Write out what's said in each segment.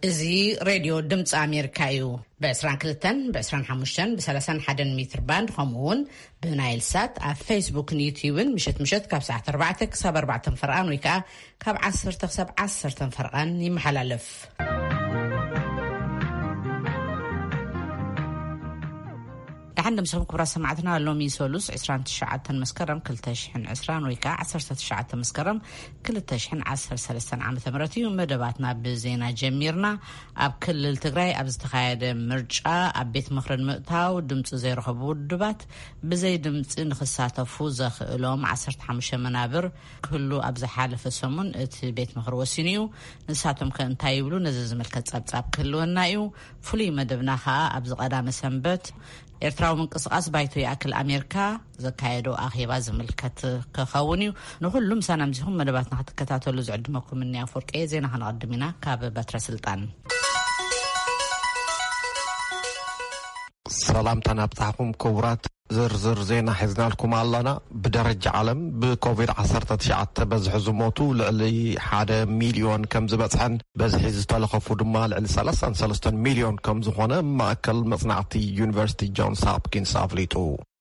እዚ ሬድዮ ድምፂ ኣሜሪካ እዩ። ብ22፣ ብ25፣ ብ31 ሜትር ባንድ፣ ከምኡ እውን ብናይል ሳት ኣብ ፌስቡክን ዩትዩብን ምሸት ምሸት ካብ ሰዓት ኣርባዕተ ክሳብ ኣርባዕተ ፈርቓን ወይ ከዓ ካብ ዓሰርተ ክሳብ ዓሰርተ ፈርቓን ይመሓላለፍ። ደሓን ደምሰኹም ክቡራት ሰማዕትና፣ ሎሚ ሰሉስ ዕስራን ትሽዓተን መስከረም ክልተ ሽሕን ዕስራን ወይ ከዓ ዓሰርተ ትሽዓተ መስከረም ክልተ ሽሕን ዓሰርተ ሰለስተን ዓመተ ምህረት እዩ። መደባትና ብዜና ጀሚርና። ኣብ ክልል ትግራይ ኣብ ዝተኻየደ ምርጫ ኣብ ቤት ምኽሪ ንምእታው ድምፂ ዘይረኸቡ ውድባት ብዘይ ድምፂ ንክሳተፉ ዘኽእሎም ዓሰርተ ሓሙሽተ መናብር ክህሉ ኣብ ዝሓለፈ ሰሙን እቲ ቤት ምኽሪ ወሲኑ እዩ። ንሳቶም ከ እንታይ ይብሉ? ነዚ ዝምልከት ጸብጻብ ክህልወና እዩ። ፍሉይ መደብና ከኣ ኣብዚ ቀዳመ ሰንበት ኤርትራዊ ምንቅስቓስ ባይቶ ይኣክል ኣሜሪካ ዘካየዶ ኣኼባ ዝምልከት ክኸውን እዩ። ንኹሉ ምሳና ምዚኹም መደባትና ክትከታተሉ ዝዕድመኩም እኒ ኣፍወርቂ። ዜና ከነቐድም ኢና ካብ በትረ ስልጣን። ሰላምታ ናብጻሕኩም ክቡራት። ዝርዝር ዜና ሒዝናልኩም ኣለና። ብደረጃ ዓለም ብኮቪድ ዓሰርተ ትሽዓተ በዝሒ ዝሞቱ ልዕሊ ሓደ ሚልዮን ከም ዝበጽሐን በዝሒ ዝተለኸፉ ድማ ልዕሊ ሰላሳን ሰለስተን ሚልዮን ከም ዝኾነ ማእከል መጽናዕቲ ዩኒቨርሲቲ ጆንስ ሆፕኪንስ ኣፍሊጡ።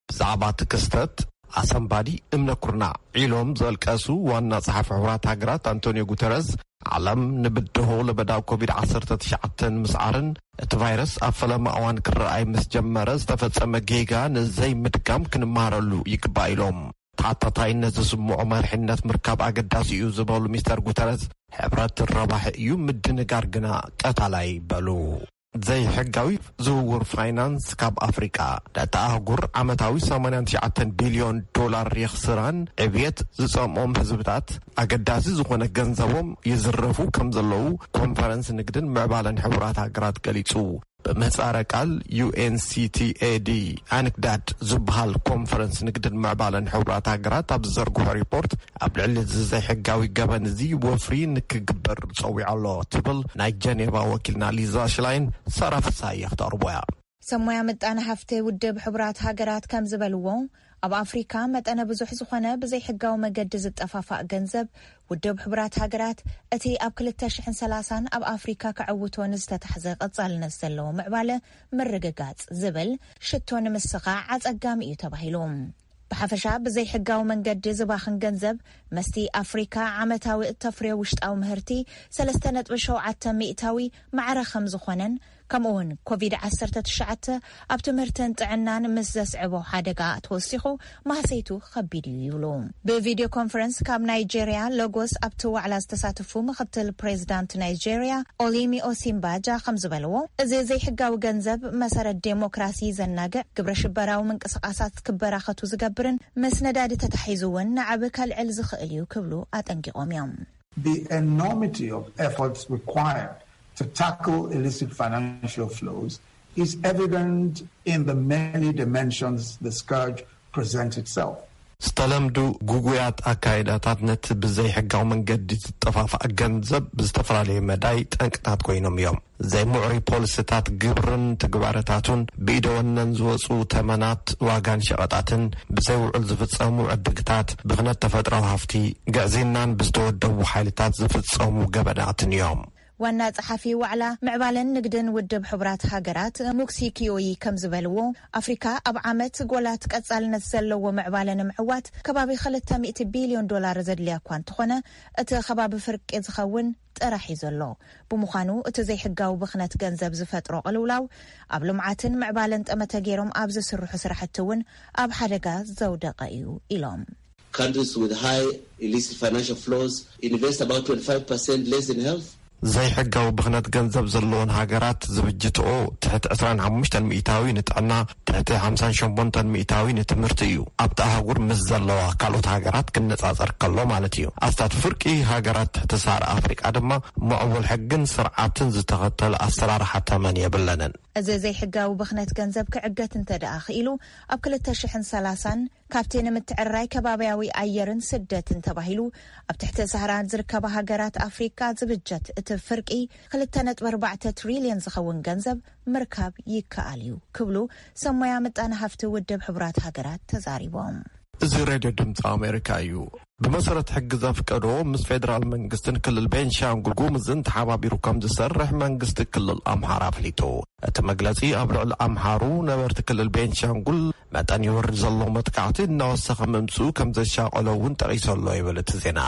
ብዛዕባ እቲ ክስተት ኣሰንባዲ እምነ ኩርናዕ ኢሎም ዘልቀሱ ዋና ጸሓፊ ሕቡራት ሃገራት ኣንቶኒዮ ጉተረዝ፣ ዓለም ንብድሆ ለበዳ ኮቪድ ዓሰርተ ትሽዓተ ንምስዓርን እቲ ቫይረስ ኣብ ፈለማ እዋን ክረኣይ ምስ ጀመረ ዝተፈጸመ ጌጋ ንዘይምድጋም ክንመሃረሉ ይግባእ ኢሎም። ተሓታታይነት ዝስምዖ መሪሕነት ምርካብ ኣገዳሲ እዩ ዝበሉ ሚስተር ጉተረዝ፣ ሕብረት ረባሒ እዩ፣ ምድንጋር ግና ቀታላይ በሉ። ዘይሕጋዊ ዝውውር ፋይናንስ ካብ ኣፍሪቃ ነታ ኣህጉር ዓመታዊ ሰማንያን ትሽዓተን ቢልዮን ዶላር የኽስራን ዕብየት ዝጸምኦም ህዝብታት ኣገዳሲ ዝኾነ ገንዘቦም ይዝረፉ ከም ዘለዉ ኮንፈረንስ ንግድን ምዕባለን ሕቡራት ሃገራት ገሊጹ። ብምህጻረ ቃል ዩ ኤን ሲ ቲ ኤ ዲ ኣንክዳድ ዝበሃል ኮንፈረንስ ንግድን ምዕባለን ሕቡራት ሃገራት ኣብ ዝዘርግሖ ሪፖርት፣ ኣብ ልዕሊ እዚ ዘይሕጋዊ ገበን እዚ ወፍሪ ንክግበር ጸዊዑ ኣሎ ትብል ናይ ጀኔቫ ወኪልና ሊዛ ሽላይን ሳራ ፍሳሃየ ክተቕርቦ እያ። ሰሞያ ምጣነ ሃፍቲ ውድብ ሕቡራት ሃገራት ከም ዝበልዎ፣ ኣብ ኣፍሪካ መጠነ ብዙሕ ዝኾነ ብዘይሕጋዊ መገዲ ዝጠፋፋእ ገንዘብ ውድብ ሕቡራት ሃገራት እቲ ኣብ ክልተ ሽሕን ሰላሳን ኣብ ኣፍሪካ ከዕውቶ ንዝተታሕዘ ቀጻልነት ዘለዎ ምዕባለ ምርግጋጽ ዝብል ሽቶ ንምስኻዕ ኣጸጋሚ እዩ ተባሂሉ። ብሓፈሻ ብዘይሕጋዊ መንገዲ ዝባኽን ገንዘብ መስቲ ኣፍሪካ ዓመታዊ እተፍርዮ ውሽጣዊ ምህርቲ ሰለስተ ነጥቢ ሸውዓተ ሚእታዊ ማዕረ ከም ዝኾነን፣ ከምኡ እውን ኮቪድ ዓሰርተ ትሽዓተ ኣብ ትምህርትን ጥዕናን ምስ ዘስዕቦ ሓደጋ ተወሲኹ ማህሰይቱ ከቢድ እዩ ይብሉ። ብቪድዮ ኮንፈረንስ ካብ ናይጄሪያ ሎጎስ ኣብቲ ዋዕላ ዝተሳተፉ ምክትል ፕሬዚዳንት ናይጄሪያ ኦሊሚ ኦሲምባጃ ከም ዝበልዎ፣ እዚ ዘይሕጋዊ ገንዘብ መሰረት ዴሞክራሲ ዘናግዕ፣ ግብረ ሽበራዊ ምንቅስቃሳት ክበራኸቱ ዝገብርን ምስ ነዳዲ ተታሒዙ እውን ንዓቢ ከልዕል ዝኽእል እዩ ክብሉ ኣጠንቂቖም እዮም። The enormity of efforts required to tackle illicit financial flows is evident in the many dimensions the scourge presents itself. ዝተለምዱ ጉጉያት ኣካይዳታት ነቲ ብዘይሕጋዊ መንገዲ ዝጠፋፋእ ገንዘብ ብዝተፈላለየ መዳይ ጠንቅታት ኮይኖም እዮም። ዘይምዕሩይ ፖሊሲታት ግብርን ትግባረታቱን፣ ብኢደወነን ዝወፁ ተመናት ዋጋን ሸቐጣትን፣ ብዘይውዕል ዝፍፀሙ ዕድግታት፣ ብኽነት ተፈጥራዊ ሃፍቲ፣ ግዕዝይናን ብዝተወደቡ ሓይልታት ዝፍፀሙ ገበናትን እዮም። ዋና ጸሓፊ ዋዕላ ምዕባለን ንግድን ውድብ ሕቡራት ሃገራት ሙክሲ ኪዮዪ ከም ዝበልዎ፣ ኣፍሪካ ኣብ ዓመት ጎላት ቀጻልነት ዘለዎ ምዕባለ ንምዕዋት ከባቢ ክልተ ሚእቲ ቢልዮን ዶላር ዘድልያ እኳ እንተኾነ፣ እቲ ከባቢ ፍርቂ ዝኸውን ጥራሕ እዩ ዘሎ። ብምዃኑ፣ እቲ ዘይሕጋዊ ብኽነት ገንዘብ ዝፈጥሮ ቅልውላው ኣብ ልምዓትን ምዕባለን ጠመተ ገይሮም ኣብ ዝስርሑ ስራሕቲ እውን ኣብ ሓደጋ ዘውደቐ እዩ ኢሎም። Countries with high illicit financial flows invest about twenty-five percent less in health. ዘይሕጋዊ ብኽነት ገንዘብ ዘለዎን ሃገራት ዝብጅትኦ ትሕቲ ዕስራን ሓሙሽተን ሚእታዊ ንጥዕና፣ ትሕቲ ሓምሳን ሸሞንተን ሚእታዊ ንትምህርቲ እዩ። ኣብቲ ኣህጉር ምስ ዘለዋ ካልኦት ሃገራት ክነጻጸር ከሎ ማለት እዩ። ኣስታት ፍርቂ ሃገራት ትሕቲ ሳህራ ኣፍሪቃ ድማ ምዕቡል ሕግን ስርዓትን ዝተኸተለ ኣሰራርሓ ተመን የብለንን። እዚ ዘይሕጋዊ ብኽነት ገንዘብ ክዕገት እንተ ደኣ ክኢሉ፣ ኣብ ክልተ ሽሕን ሰላሳን ካብቲ ንምትዕርራይ ከባብያዊ ኣየርን ስደትን ተባሂሉ ኣብ ትሕቲ ሳህራ ዝርከባ ሃገራት ኣፍሪካ ዝብጀት እቲ ፍርቂ ክልተ ነጥቢ ኣርባዕተ ትሪልዮን ዝኸውን ገንዘብ ምርካብ ይከኣል እዩ ክብሉ ሰሞያ ምጣነ ሃፍቲ ውድብ ሕቡራት ሃገራት ተዛሪቦም። እዚ ሬድዮ ድምፂ ኣሜሪካ እዩ። ብመሰረት ሕጊ ዘፍቀዶ፣ ምስ ፌደራል መንግስትን ክልል ቤንሻንጉል ጉሙዝን ተሓባቢሩ ከም ዝሰርሕ መንግስቲ ክልል ኣምሓራ ኣፍሊጡ። እቲ መግለጺ ኣብ ልዕሊ ኣምሓሩ ነበርቲ ክልል ቤንሻንጉል መጠን ይወርድ ዘሎ መጥቃዕቲ እናወሰኸ ምምጽኡ ከም ዘሻቐሎ እውን ጠቒሱ ኣሎ ይብል እቲ ዜና።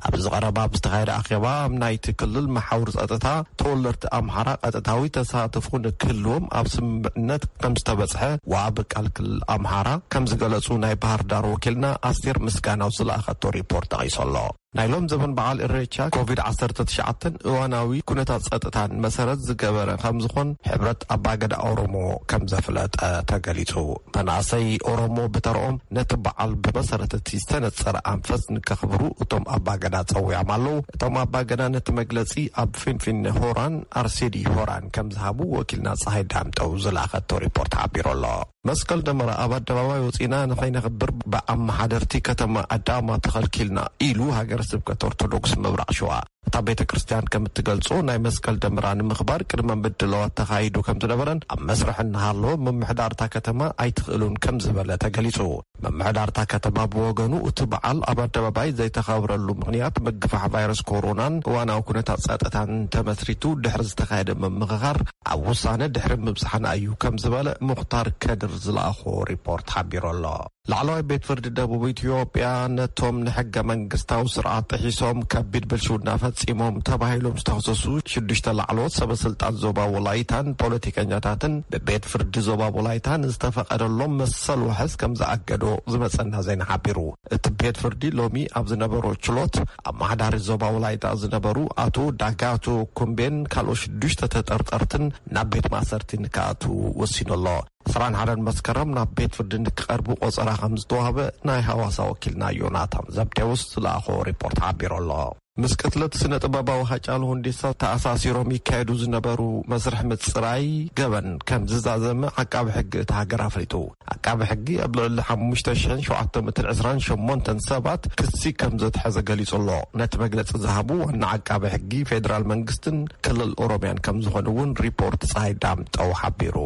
ኣብዚ ቀረባ ኣብ ዝተኻየደ ኣኼባ፣ ኣብ ናይቲ ክልል መሓውር ጸጥታ ተወለድቲ ኣምሓራ ቀጥታዊ ተሳትፎ ንክህልዎም ኣብ ስምምዕነት ከም ዝተበጽሐ ወሃቢ ቃል ክልል ኣምሓራ ከም ዝገለጹ ናይ ባህር ዳር ወኪልና ኣስቴር ምስጋናው ዝለኣኸቶ ሪፖርት ጠቒሱ ኣሎ። ናይ ሎም ዘበን በዓል እሬቻ ኮቪድ ዓሰርተ ትሽዓተን እዋናዊ ኩነታት ጸጥታን መሰረት ዝገበረ ከም ዝኾን ሕብረት ኣባገዳ ኦሮሞ ከም ዘፍለጠ ተገሊጹ። መናእሰይ ኦሮሞ ብተርኦም ነቲ በዓል ብመሰረት እቲ ዝተነጸረ ኣንፈት ንከኽብሩ እቶም ኣባገዳ ጸዊዖም ኣለዉ። እቶም ኣባገዳ ነቲ መግለጺ ኣብ ፊንፊኔ ሆራን ኣርሴዲ ሆራን ከም ዝሃቡ ወኪልና ጸሃይ ዳምጠው ዝለኣኸቶ ሪፖርት ሓቢሩ ኣሎ። መስቀል ደመራ ኣብ ኣደባባይ ወጺና ንኸይነኽብር ብኣመሓደርቲ ከተማ ኣዳማ ተኸልኪልና ኢሉ ሃገረ ስብከት ኦርቶዶክስ ምብራቕ ሸዋ። እታ ቤተ ክርስቲያን ከም እትገልጾ፣ ናይ መስቀል ደመራ ንምኽባር ቅድመ ምድላዋት ተኻይዱ ከም ዝነበረን ኣብ መስርሕ እናሃለወ ምምሕዳር እታ ከተማ ኣይትኽእሉን ከም ዝበለ ተገሊጹ። ምምሕዳር እታ ከተማ ብወገኑ፣ እቲ በዓል ኣብ ኣደባባይ ዘይተኸብረሉ ምኽንያት ምግፋሕ ቫይረስ ኮሮናን እዋናዊ ኩነታት ጸጥታን ተመስሪቱ ድሕሪ ዝተኻየደ ምምኽኻር ኣብ ውሳነ ድሕሪ ምብጻሕና እዩ ከም ዝበለ ሙኽታር ከድር ዝለኣኾ ሪፖርት ሓቢሩ ኣሎ። ላዕለዋይ ቤት ፍርዲ ደቡብ ኢትዮጵያ ነቶም ንሕገ መንግስታዊ ስርዓት ጥሒሶም ከቢድ ብልሽውና ፈጺሞም ተባሂሎም ዝተኸሰሱ ሽዱሽተ ላዕለዎት ሰበ ስልጣን ዞባ ወላይታን ፖለቲከኛታትን ብቤት ፍርዲ ዞባ ወላይታን ዝተፈቐደሎም መሰል ዋሕስ ከም ዝኣገዶ ዝመጸና ዜና ሓቢሩ። እቲ ቤት ፍርዲ ሎሚ ኣብ ዝነበሮ ችሎት፣ ኣመሓዳሪ ዞባ ወላይታ ዝነበሩ ኣቶ ዳጋቶ ኩምቤን ካልኦት ሽዱሽተ ተጠርጠርትን ናብ ቤት ማእሰርቲ ንክኣትዉ ወሲኑ ኣሎ። ዕስራን ሓደን መስከረም ናብ ቤት ፍርዲ ንክቐርቡ ቆጸራ ከም ዝተዋህበ ናይ ሃዋሳ ወኪልና ዮናታን ዘብዴዎስ ዝለኣኾ ሪፖርት ሓቢሩ ኣሎ። ምስ ቅትለት ስነ ጥበባዊ ሃጫሉ ሁንዴሳ ተኣሳሲሮም ይካየዱ ዝነበሩ መስርሕ ምጽራይ ገበን ከም ዝዛዘመ ዓቃቢ ሕጊ እታ ሃገር ኣፍሊጡ። ዓቃቢ ሕጊ ኣብ ልዕሊ ሓሙሽተ ሽሕን ሸውዓተ ሚእትን ዕስራን ሸሞንተን ሰባት ክሲ ከም ዘትሐዘ ገሊጹ ኣሎ። ነቲ መግለጺ ዝሃቡ ዋና ዓቃቢ ሕጊ ፌደራል መንግስትን ክልል ኦሮሚያን ከም ዝኾኑ እውን ሪፖርት ጸሃይ ዳምጠው ሓቢሩ።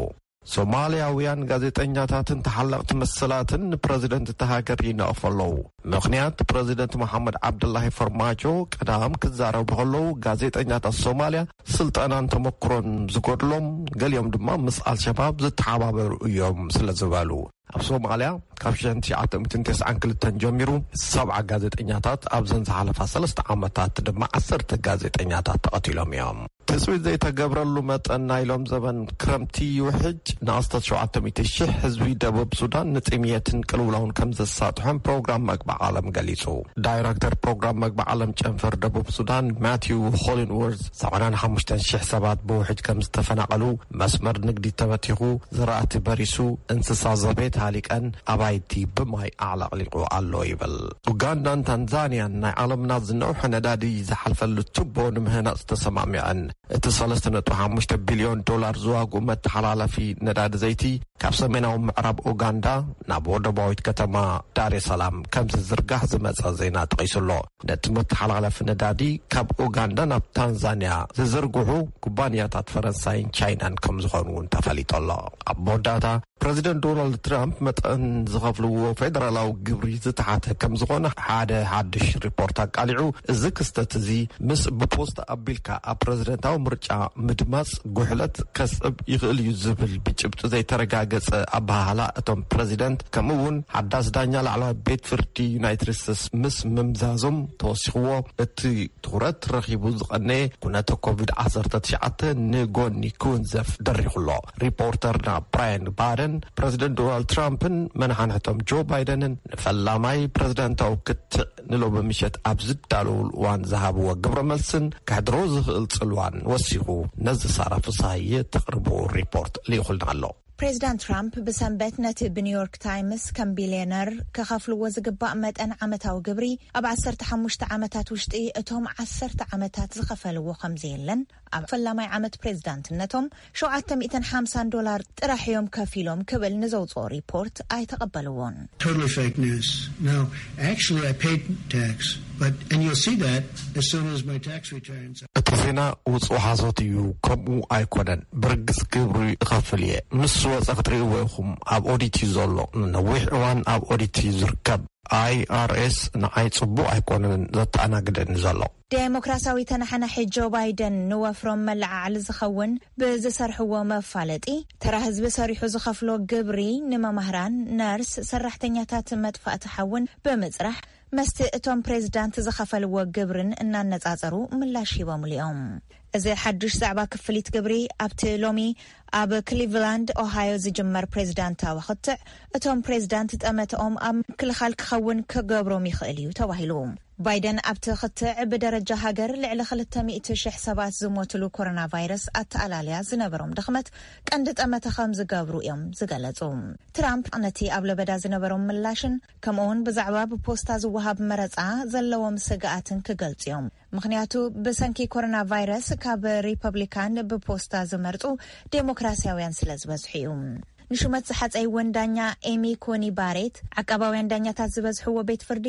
ሶማልያውያን ጋዜጠኛታትን ተሓለቕቲ መሰላትን ንፕረዚደንት እታ ሃገር ይነቕፉ ኣለዉ። ምኽንያት፣ ፕረዚደንት መሓመድ ዓብዱላሂ ፈርማጆ ቀዳም ክዛረቡ ከለዉ፣ ጋዜጠኛታት ሶማልያ ስልጠናን ተመክሮን ዝጎድሎም፣ ገሊኦም ድማ ምስ ኣልሸባብ ዝተሓባበሩ እዮም ስለ ዝበሉ። ኣብ ሶማልያ ካብ ሽሕን ትሽዓተ ሚእትን ተስዓን ክልተን ጀሚሩ ሰብዓ ጋዜጠኛታት፣ ኣብዘን ዝሓለፋ ሰለስተ ዓመታት ድማ ዓሰርተ ጋዜጠኛታት ተቐቲሎም እዮም። ትጽቢት ዘይተገብረሉ መጠን ናይ ሎም ዘበን ክረምቲ ይውሕጅ። ንኣስታት ሸውዓተ ሚእቲ ሽሕ ህዝቢ ደቡብ ሱዳን ንጥምየትን ቅልውላውን ከም ዘሳጥሖም ፕሮግራም መግቢ ዓለም ገሊጹ። ዳይረክተር ፕሮግራም መግቢ ዓለም ጨንፈር ደቡብ ሱዳን ማቲው ሆሊንወርዝ፣ ሰብዓን ሓሙሽተን ሽሕ ሰባት ብውሕጅ ከም ዝተፈናቐሉ፣ መስመር ንግዲ ተበቲኹ፣ ዝራእቲ በሪሱ፣ እንስሳ ዘቤት ሃሊቀን፣ ኣባይቲ ብማይ ኣዕለቕሊቑ ኣሎ ይብል። ኡጋንዳን ታንዛንያን ናይ ዓለምና ዝነውሐ ነዳዲ ዝሓልፈሉ ቱቦ ንምህናጽ ተሰማሚዐን። እቲ ሰለስተ ነጥቢ ሓሙሽተ ቢልዮን ዶላር ዝዋግኡ መተሓላለፊ ነዳዲ ዘይቲ ካብ ሰሜናዊ ምዕራብ ኡጋንዳ ናብ ወደባዊት ከተማ ዳሬ ሰላም ከም ዝዝርጋሕ ዝመጸ ዜና ጠቒሱ ኣሎ። ነቲ መተሓላለፊ ነዳዲ ካብ ኡጋንዳ ናብ ታንዛንያ ዝዝርግሑ ኩባንያታት ፈረንሳይን ቻይናን ከም ዝኾኑ እውን ተፈሊጡ ኣሎ። ኣብ መወዳእታ፣ ፕረዚደንት ዶናልድ ትራምፕ መጠን ዝኸፍልዎ ፌደራላዊ ግብሪ ዝተሓተ ከም ዝኾነ ሓደ ሓድሽ ሪፖርት ኣቃሊዑ፣ እዚ ክስተት እዚ ምስ ብፖስታ ኣቢልካ ኣብ ፕረዚደንታዊ ምርጫ ምድማጽ ጉሕለት ከስዕብ ይኽእል እዩ ዝብል ብጭብጢ ዘይተረጋገጸ ኣበሃህላ እቶም ፕረዚደንት፣ ከምኡ እውን ሓዳስ ዳኛ ላዕለዋይ ቤት ፍርዲ ዩናይትድ ስቴትስ ምስ ምምዛዞም ተወሲኽዎ፣ እቲ ትኹረት ረኺቡ ዝቐነየ ኩነተ ኮቪድ ዓሰርተ ትሽዓተ ንጎኒ ክውንዘፍ ደሪኹ ኣሎ። ሪፖርተርና ብራያን ባደን፣ ፕረዚደንት ዶናልድ ትራምፕን መናሓንሕቶም ጆ ባይደንን ንፈላማይ ፕረዚደንታዊ ክትዕ ንሎሚ ምሸት ኣብ ዝዳለውሉ እዋን ዝሃብዎ ግብረ መልስን ከሕድሮ ዝኽእል ጽልዋን ወሲኹ ነዚ ሳራ ፍስሃየ ተቕርቦ ሪፖርት ልኢኹልና ኣሎ። ፕሬዚዳንት ትራምፕ ብሰንበት ነቲ ብኒውዮርክ ታይምስ ከም ቢልዮነር ክኸፍልዎ ዝግባእ መጠን ዓመታዊ ግብሪ ኣብ ዓሰርተ ሓሙሽተ ዓመታት ውሽጢ እቶም ዓሰርተ ዓመታት ዝኸፈልዎ ከም ዘየለን፣ ኣብ ፈላማይ ዓመት ፕሬዚዳንትነቶም ሸውዓተ ሚእትን ሓምሳን ዶላር ጥራሕ እዮም ከፊሎም ክብል ንዘውፅኦ ሪፖርት ኣይተቐበልዎን። Totally fake news. No, actually, I paid tax, but and you'll see that as soon as my tax returns. እቲ ዜና ውጹእ ሓሶት እዩ፣ ከምኡ ኣይኮነን። ብርግጽ ግብሪ እኸፍል እየ። ንሱ ወጸ ክትርእይዎ ኢኹም። ኣብ ኦዲት እዩ ዘሎ። ንነዊሕ እዋን ኣብ ኦዲት እዩ ዝርከብ። ኣይ ኣር ኤስ ንዓይ ጽቡቕ ኣይኮነን ዘተኣናግደኒ ዘሎ። ዴሞክራሲያዊ ተነሓናሒ ጆ ባይደን ንወፍሮም መለዓዓሊ ዝኸውን ብዝሰርሕዎ መፋለጢ፣ ተራ ህዝቢ ሰሪሑ ዝኸፍሎ ግብሪ ንመማህራን፣ ነርስ፣ ሰራሕተኛታት መጥፋእቲ ሓውን ብምጽራሕ፣ መስቲ እቶም ፕሬዝዳንት ዝኸፈልዎ ግብርን እናነጻጸሩ ምላሽ ሂቦምሉ እዮም። እዚ ሓድሽ ዛዕባ ክፍሊት ግብሪ ኣብቲ ሎሚ ኣብ ክሊቭላንድ ኦሃዮ ዝጅመር ፕሬዝዳንታዊ ክትዕ፣ እቶም ፕሬዝዳንት ጠመተኦም ኣብ ምክልኻል ክኸውን ክገብሮም ይኽእል እዩ ተባሂሉ። ባይደን ኣብቲ ክትዕ ብደረጃ ሃገር ልዕሊ ክልተ ሚእቲ ሽሕ ሰባት ዝሞትሉ ኮሮና ቫይረስ ኣተኣላልያ ዝነበሮም ድኽመት ቀንዲ ጠመተ ከም ዝገብሩ እዮም ዝገለጹ። ትራምፕ ነቲ ኣብ ለበዳ ዝነበሮም ምላሽን ከምኡውን ብዛዕባ ብፖስታ ዝወሃብ መረጻ ዘለዎም ስግኣትን ክገልጹ እዮም። ምኽንያቱ ብሰንኪ ኮሮና ቫይረስ ካብ ሪፐብሊካን ብፖስታ ዝመርጹ ዴሞክራሲያውያን ስለ ዝበዝሑ እዩ። ንሹመት ዝሓጸይወን ዳኛ ኤሚ ኮኒ ባሬት፣ ዓቃባውያን ዳኛታት ዝበዝሕዎ ቤት ፍርዲ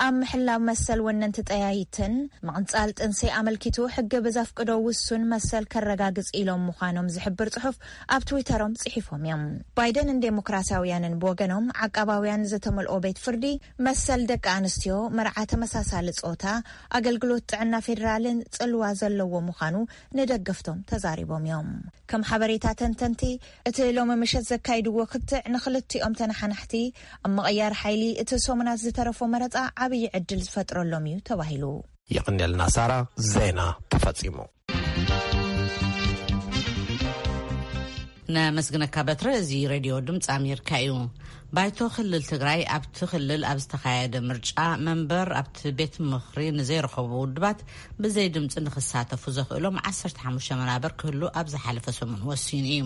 ኣብ ምሕላው መሰል ወነንቲ ጠያይትን ምቕንጻል ጥንሲ ኣመልኪቱ ሕጊ ብዘፍቅዶ ውሱን መሰል ከረጋግጽ ኢሎም ምዃኖም ዝሕብር ጽሑፍ ኣብ ትዊተሮም ጽሒፎም እዮም። ባይደንን ዴሞክራሲያውያንን ብወገኖም፣ ዓቃባውያን ዝተመልኦ ቤት ፍርዲ መሰል ደቂ ኣንስትዮ፣ መርዓ ተመሳሳሊ ጾታ፣ ኣገልግሎት ጥዕና ፌዴራልን ጽልዋ ዘለዎ ምዃኑ ንደገፍቶም ተዛሪቦም እዮም። ከም ሓበሬታ ተንተንቲ፣ እቲ ሎሚ ምሸት ዘካይድዎ ክትዕ ንኽልቲኦም ተነሓናሕቲ ኣብ ምቕያር ሓይሊ እቲ ሰሙናት ዝተረፎ መረጻ ዓብዪ ዕድል ዝፈጥረሎም እዩ ተባሂሉ። የቐንየልና ሳራ። ዜና ተፈጺሙ። ነመስግነካ በትረ። እዚ ሬድዮ ድምፂ ኣሜሪካ እዩ። ባይቶ ክልል ትግራይ ኣብቲ ክልል ኣብ ዝተኻየደ ምርጫ መንበር ኣብቲ ቤት ምኽሪ ንዘይረኸቡ ውድባት ብዘይ ድምፂ ንክሳተፉ ዘኽእሎም ዓሰርተ ሓሙሽተ መናበር ክህሉ ኣብ ዝሓለፈ ሰሙን ወሲኑ እዩ።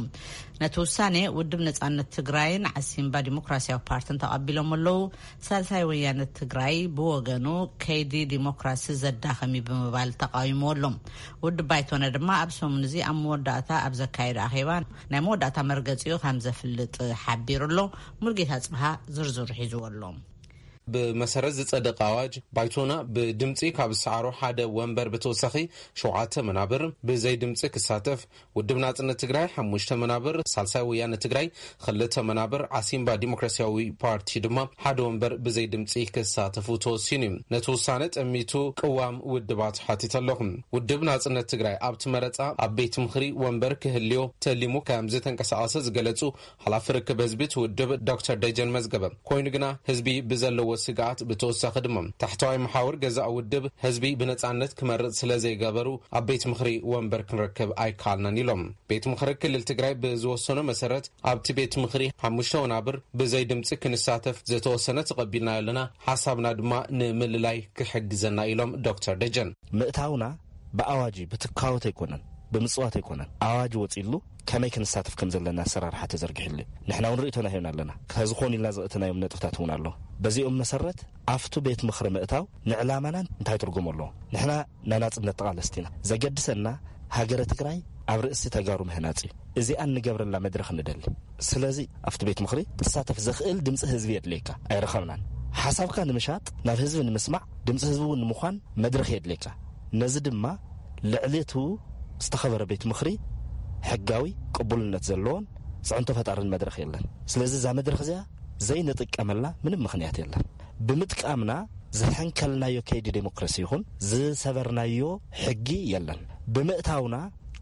ነቲ ውሳኔ ውድብ ነጻነት ትግራይን ዓሲምባ ዲሞክራሲያዊ ፓርቲን ተቐቢሎም ኣለዉ። ሳልሳይ ወያነ ትግራይ ብወገኑ ከይዲ ዲሞክራሲ ዘዳኸም እዩ ብምባል ተቃዊምዎ ኣሎ። ውድብ ባይቶና ድማ ኣብ ሰሙን እዚ ኣብ መወዳእታ ኣብ ዘካየደ ኣኼባ ናይ መወዳእታ መርገጺኡ ከም ዘፍልጥ ሓቢሩ ኣሎ። ሙልጌታ ጽብሃ ዝርዝሩ ሒዝዎ ኣሎ። ብመሰረት ዝጸደቐ ኣዋጅ፣ ባይቶና ብድምጺ ካብ ዝሰዓሮ ሓደ ወንበር ብተወሳኺ ሸውዓተ መናብር ብዘይ ድምጺ ክሳተፍ፣ ውድብ ናጽነት ትግራይ ሓሙሽተ መናብር፣ ሳልሳይ ወያነ ትግራይ ክልተ መናብር፣ ዓሲምባ ዲሞክራሲያዊ ፓርቲ ድማ ሓደ ወንበር ብዘይ ድምጺ ክሳተፉ ተወሲኑ እዩ። ነቲ ውሳነ ጠሚቱ ቅዋም ውድባት ሓቲተ ኣለኹ። ውድብ ናጽነት ትግራይ ኣብቲ መረጻ ኣብ ቤት ምኽሪ ወንበር ክህልዮ ተሊሙ ከም ዝተንቀሳቐሰ ዝገለጹ ሓላፊ ርክብ ህዝቢ እቲ ውድብ ዶክተር ደጀን መዝገበ፣ ኮይኑ ግና ህዝቢ ብዘለዎ ስግኣት ብተወሳኺ ድማ ታሕተዋይ መሓውር ገዛእ ውድብ ህዝቢ ብነጻነት ክመርጽ ስለ ዘይገበሩ ኣብ ቤት ምኽሪ ወንበር ክንረክብ ኣይከኣልናን ኢሎም። ቤት ምኽሪ ክልል ትግራይ ብዝወሰኖ መሰረት ኣብቲ ቤት ምኽሪ ሓሙሽተ ወናብር ብዘይ ድምፂ ክንሳተፍ ዝተወሰነ ተቐቢልናዮ ኣለና፣ ሓሳብና ድማ ንምልላይ ክሕግዘና ኢሎም ዶክተር ደጀን። ምእታውና ብኣዋጅ እዩ፣ ብትካወት ኣይኮነን፣ ብምጽዋት ኣይኮነን። ኣዋጅ ወጺሉ ከመይ ክንሳተፍ ከም ዘለና ኣሰራርሓ ተዘርጊሕሉ እዩ። ንሕና እውን ርእይቶና ሂብና ኣለና። ከዚ ኮን ኢልና ዘእተናዮም ነጥብታት እውን ኣሎ። በዚኦም መሰረት ኣብቱ ቤት ምኽሪ ምእታው ንዕላማና እንታይ ትርጉም ኣለዎ? ንሕና ናይ ናጽነት ተቓለስቲ ኢና። ዘገድሰና ሃገረ ትግራይ ኣብ ርእሲ ተጋሩ ምህናጽ እዩ። እዚኣ እንገብረላ መድረኽ ንደሊ። ስለዚ ኣብቲ ቤት ምኽሪ ክሳተፍ ዘኽእል ድምፂ ህዝቢ የድልየካ። ኣይረኸብናን። ሓሳብካ ንምሻጥ፣ ናብ ህዝቢ ንምስማዕ፣ ድምፂ ህዝቢ እውን ንምዃን መድረኽ የድልየካ። ነዚ ድማ ልዕሊ እቱ ዝተኸበረ ቤት ምኽሪ ሕጋዊ ቅቡልነት ዘለዎን ፅዕንቶ ፈጣርን መድረኽ የለን። ስለዚ እዛ መድረኽ እዚኣ ዘይንጥቀመላ ምንም ምኽንያት የለን። ብምጥቃምና ዝሐንከልናዮ ከይዲ ዴሞክራሲ ይኹን ዝሰበርናዮ ሕጊ የለን። ብምእታውና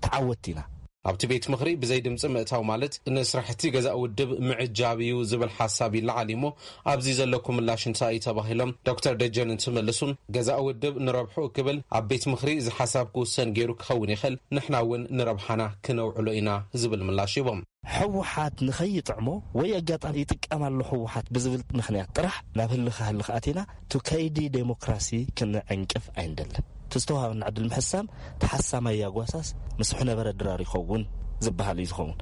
ተዓወትቲ ኢና። ኣብቲ ቤት ምኽሪ ብዘይ ድምፂ ምእታው ማለት ንስራሕቲ ገዛእ ውድብ ምዕጃብ እዩ ዝብል ሓሳብ ይለዓል እዩሞ፣ ኣብዚ ዘለኩም ምላሽ እንታይ እዩ ተባሂሎም ዶክተር ደጀን እንትምልሱ፣ ገዛእ ውድብ ንረብሕኡ ክብል ኣብ ቤት ምኽሪ ዝሓሳብ ክውሰን ገይሩ ክኸውን ይኽእል፣ ንሕና እውን ንረብሓና ክነውዕሎ ኢና ዝብል ምላሽ ሂቦም። ህወሓት ንኸይጥዕሞ ወይ ኣጋጣሚ ይጥቀም ኣሎ ህወሓት ብዝብል ምኽንያት ጥራሕ ናብ ህልኽ ህልኽ ኣቲና፣ ቱ ከይዲ ዴሞክራሲ ክንዕንቅፍ ኣይንደልን። እቲ ዝተዋሃበና ዕድል ምሕሳም፣ ተሓሳማይ ያጓሳስ ምስ ሕነበረ ድራር ይኸውን ዝበሃል እዩ ዝኸውን።